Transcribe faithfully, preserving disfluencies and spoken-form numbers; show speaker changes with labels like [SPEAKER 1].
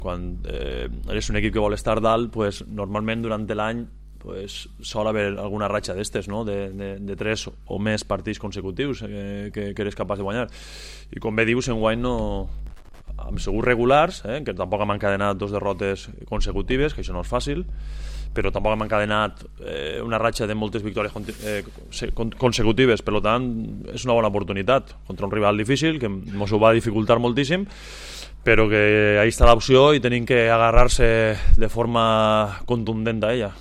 [SPEAKER 1] quan eh, eres un equip que vol estar dalt, pues, normalment durant l'any pues, sol haver alguna ratxa d'estes, no? de, de, de tres o més partits consecutius eh, que, que eres capaç de guanyar. I com bé dius, enguany no, amb segurs regulars, eh, que tampoc hem encadenat dos derrotes consecutives, que això no és fàcil, però tampoc hem encadenat eh, una ratxa de moltes victòries eh, consecutives, per tant és una bona oportunitat contra un rival difícil que ens ho va dificultar moltíssim, però que ahí està l'opció i tenim que agarrar-se de forma contundent a ella.